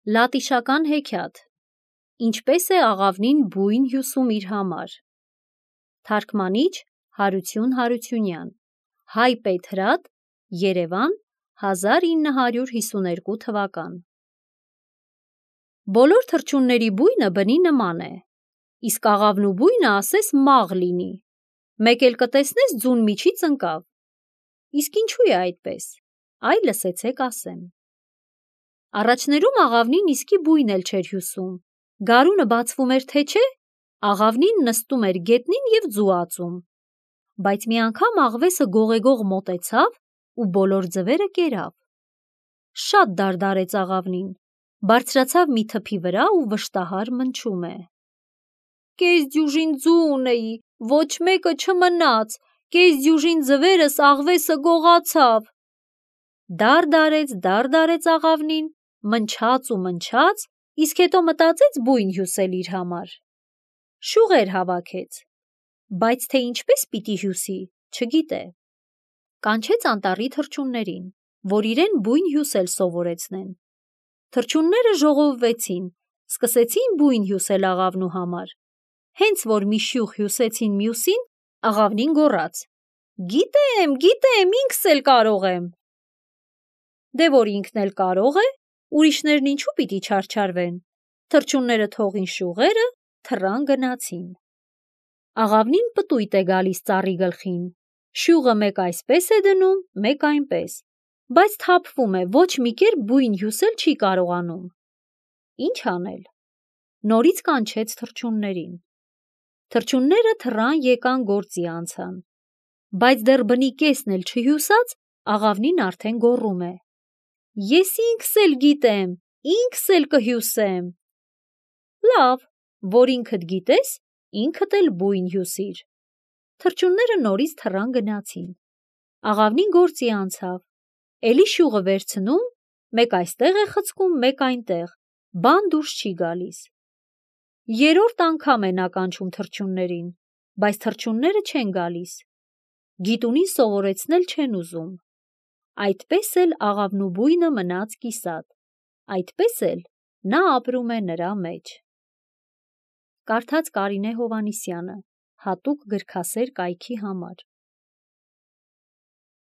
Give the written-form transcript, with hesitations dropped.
Լատիշական հեքիաթ. Ինչպես է աղավնին բույն հյուսում իր համար։ Թարգմանիչ Հարություն Հարությունյան, Հայ Պետ Հրատ, Երևան, 1952 թվական։ Բոլոր թռչունների բույնը բնի նման է, իսկ աղավնու բույնը ասես մաղ լինի, մեկ էլ կտեսնես ձուն միջից ընկավ։ Իսկ ինչու է այդպես, այ լսեցեք ասեմ։ Առաջներում աղավնին իսկի բույն էլ չէր հյուսում, գարունը բացվում էր թե չէ, աղավնին նստում էր գետնին և ձու ածում, բայց մի անգամ աղվեսը գողեգող մոտեցավ ու բոլոր ձվերը կերավ։ Շատ դարդարեց աղավնին, բարձրացավ մի թփի վրա ու վշտահար մնչում է. «Կես դյուժին ձու ունեի, ոչ մեկը չմնաց, կես դյուժին ձվերս աղվեսը գողացավ»։ Դարդարեց աղավնին, մնչաց ու մնչաց, իսկ հետո մտածեց բույն հյուսել իր համար։ Շուղեր հավաքեց, բայց թե ինչպես պիտի հյուսի, չգիտե։ Կանչեց անտառի թռչուններին, որ իրեն բույն հյուսել սովորեցնեն։ Թռչունները ժողովվեցին, սկսեցին բույն հյուսել աղավնու համար։ Հենց որ մի շյուղ հյուսեցին մյուսին, աղավնին գոռաց. «Գիտեմ, ինքս էլ կարող եմ»։ Դե որ ինքն էլ կարող է, ուրիշներն ինչու պիտի չարչարվեն։ Թռչունները թողին շյուղերը, թռան գնացին։ Աղավնին պտույտ է գալիս ծառի գլխին, շյուղը մեկ այսպես է դնում, մեկ այնպես, բայց թափվում է, ոչ մի կերպ բույն հյուսել չի կարողանում։ Ինչ անել։ Նորից կանչեց թռչուններին։ Թռչունները թռան եկան գործի անցան, բայց դեռ բնի կեսն էլ չհյուսած, աղավնին արդեն գոռում է. «Ես ինքս էլ գիտեմ, ինքս էլ կհյուսեմ»։ Լավ, որ ինքդ գիտես, ինքդ էլ բույն հյուսիր։ Թռչունները նորից թռան գնացին։ Աղավնին գործի անցավ, էլի շյուղը վերցնում, մեկ այստեղ է խցկում, մեկ այնտեղ, բան դուրս չի գալիս։ Երրորդ անգամ է նա կանչում թռչուններին, բայց թռչունները չեն գալիս։ Գիտունին սովորեցնել չեն ուզում։ Այդպես էլ աղավնու բույնը մնաց կիսատ, այդպես էլ նա ապրում է նրա մեջ։ Կարդաց Կարինե Հովհաննիսյանը, հատուկ գրքասեր կայքի համար։